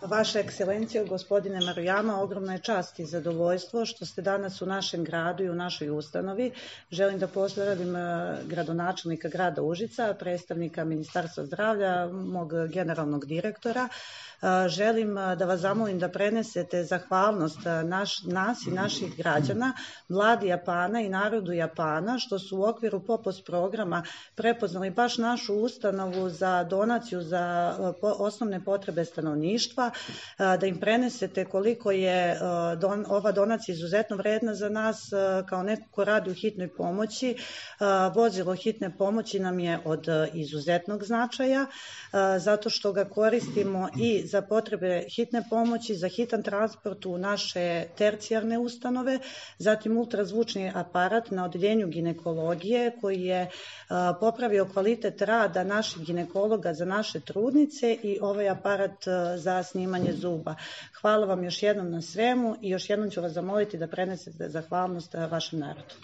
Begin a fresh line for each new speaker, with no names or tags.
Vaša ekscelencijo, gospodine Marujama, ogromna je čast i zadovoljstvo što ste danas u našem gradu i u našoj ustanovi. Želim da pozdravim gradonačelnika grada Užica, predstavnika Ministarstva zdravlja, mog generalnog direktora. Želim da vas zamolim da prenesete zahvalnost nas i naših građana, vladi Japana i narodu Japana, što su u okviru POPOS programa prepoznali baš našu ustanovu za donaciju za osnovne potrebe stanovništva, da im prenesete koliko je ova donacija izuzetno vredna za nas kao neko ko radi u hitnoj pomoći. Vozilo hitne pomoći nam je od izuzetnog značaja, zato što ga koristimo i za potrebe hitne pomoći, za hitan transport u naše tercijarne ustanove, zatim ultrazvučni aparat na odeljenju ginekologije koji je popravio kvalitet rada naših ginekologa za naše trudnice i ovaj aparat za snimanje zuba. Hvala vam još jednom na svemu i još jednom ću vas zamoliti da prenesete zahvalnost vašem narodu.